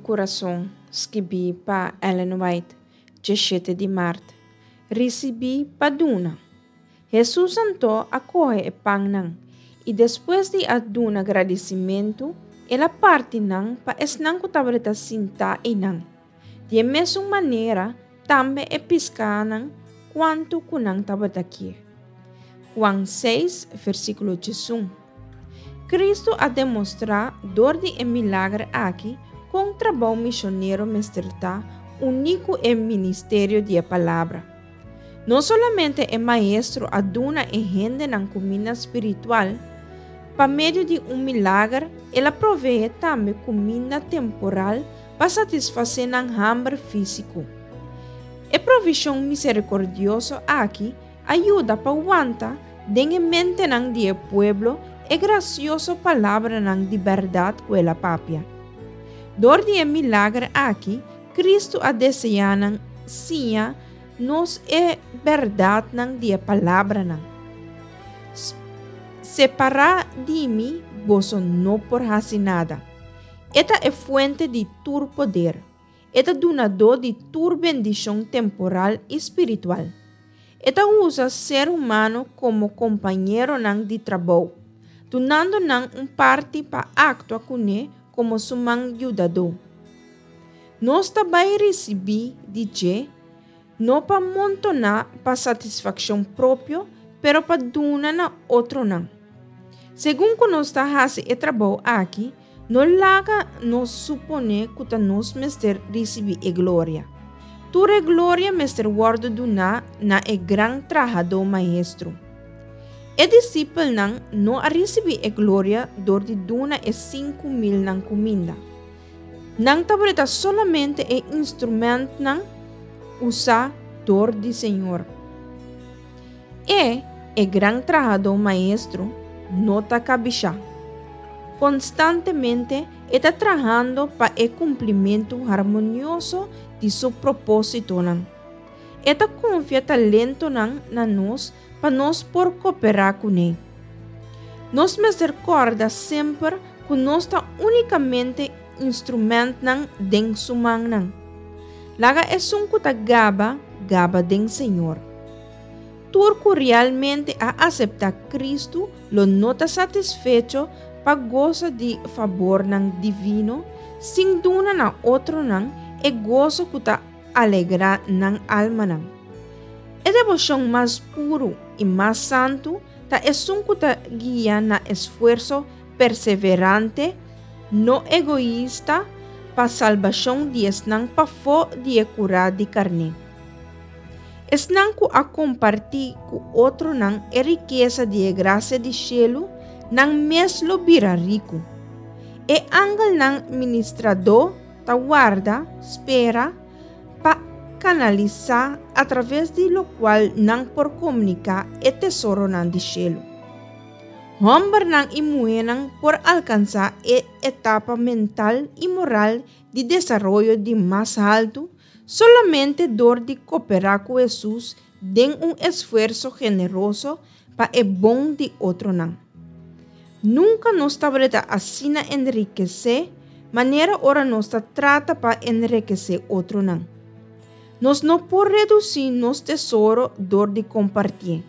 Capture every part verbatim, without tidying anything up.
Kurason, skibí pa Ellen White, diesshete di mart. Risibí pa duna. Hesus anto a kohe e pannan, i despues di a duna gradisimentu, el a parti nan pa esnan ku tabata sintá einan. Di e mesun manera, tambe e piskánan kuantu ku nan tabata ke. Juan seis, versíkulo diesun. Kristu a demostrá dor di e milager aki kon trabou misionero mester ta uní ku e ministerio di e palabra. No solamente e maestro a duna e hendenan kuminda spiritual, pa medio di un milager, el a proveé tambe kuminda temporal pa satisfasé nan hamber físiko. E provishon miserikordioso aki a yuda pa wanta den e mentenan di e pueblo e grasioso palabranan di bèrdat ku el a papia. Dor di e milager aki, Kristu a deseá na siña nos e bèrdatnan di e palabranan. Separá di mi, boso no por hasi nada. E ta e fuente di tur poder. E ta dunadó di tur bendishon temporal i spiritual. E ta usa ser humano komo kompañeronan di trabou, dunando nan un parti pa aktua kuné komo su man yudadó. Nos ta bai risibí di dje, no pa montoná pa satisfakshon propio, pero pa duna na otronan. Segun ku nos ta hasi e trabou aki, no laga nos suponé ku ta nos mester risibí e gloria. Tur e gloria mester wòrdu duná na e gran trahadó maestro. E disipelnan no a risibí e gloria dor di duna e sinku milnan kuminda. Nan tabata solamente e instrumèntnan usá dor di Señor. E, e gran trahadó maestro, no ta kabishá. Konstantemente e ta trahando pa e kumplimentu harmonioso di su propósitonan. E ta konfia talentonan na nos pa nos por kooperá kuné. Nos mester kòrda semper ku nos ta únikamente instrumèntnan den su mannan. Laga esun ku ta gaba, gaba den Señor. Tur ku realmente a aseptá Kristu lo no ta satisfecho pa gosa di fabornan divino, sin duna na otronan e goso ku ta alegrá nan almanan. E deboshon mas puru i mas santu ta esun ku ta guia na esfuerso perseverante, no egoista, pa salbashon di esnan pafó di e kurá di karné. Esnan ku a kompartí ku otronan e rikesa di e grasia di shelu, nan mes lo bira riku. E angelnan ministradó ta warda, spera, pa kanalisá atraves di lokual nan por komuniká e tesoronan di shelu. Hòmbernan i muhénan por alkansá e etapa mental i moral di desaroyo di mas haltu solamente dor di kooperá ku Hesus den un esfuerso generoso pa e bon di otronan. Nunka nos tabata asina enrikesé manera ora nos ta trata pa enrikesé otronan. Nos no por redusí nos tesoro dor di kompartí.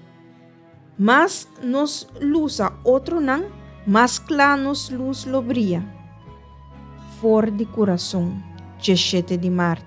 Mas nos lusa otronan, mas kla nos lus lo bria. For di Kurason, diesshete di mart.